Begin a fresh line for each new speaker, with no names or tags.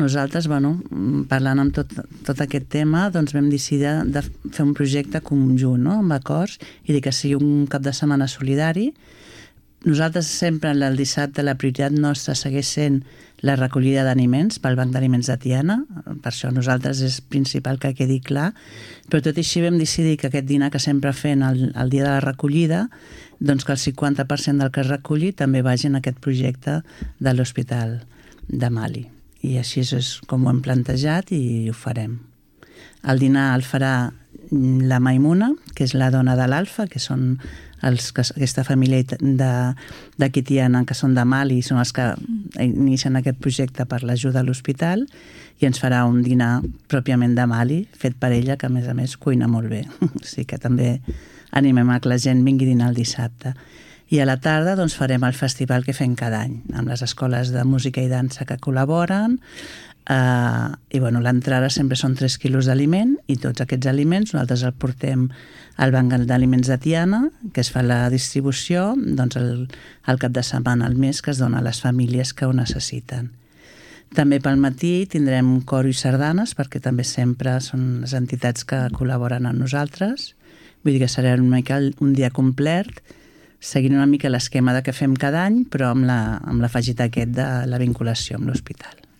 Nosaltres, parlant amb tot aquest tema, doncs vam decidir de fer un projecte conjunt, amb acords, i dir que sigui un cap de setmana solidari. Nosaltres sempre el dissabte la prioritat nostra segueix sent la recollida d'aliments pel Banc d'Aliments de Tiana, per això nosaltres és principal que quedi clar, però tot i així vam decidir que aquest dinar que sempre fem el dia de la recollida, doncs que el 50% del que es reculli també vagi en aquest projecte de l'Hospital de Mali. I així és com ho hem plantejat i ho farem. El dinar el farà la Maimuna, que és la dona de l'Alfa, que són aquesta família d'aquí Tiana, que són de Mali, són els que inicien aquest projecte per l'ajuda a l'hospital, i ens farà un dinar pròpiament de Mali, fet per ella, que a més cuina molt bé. O sigui que també animem a que la gent vingui a dinar el dissabte. I a la tarda doncs, farem el festival que fem cada any, amb les escoles de música i dansa que col·laboren, i l'entrada sempre són 3 quilos d'aliment, i tots aquests aliments nosaltres els portem al Banc d'Aliments de Tiana, que es fa la distribució doncs, el cap de setmana al mes, que es dona a les famílies que ho necessiten. També pel matí tindrem coro i sardanes, perquè també sempre són les entitats que col·laboren amb nosaltres. Vull dir que serà una mica un dia complet, seguint una mica l'esquema que fem cada any, però amb l'afegit aquest de la vinculació amb l'hospital.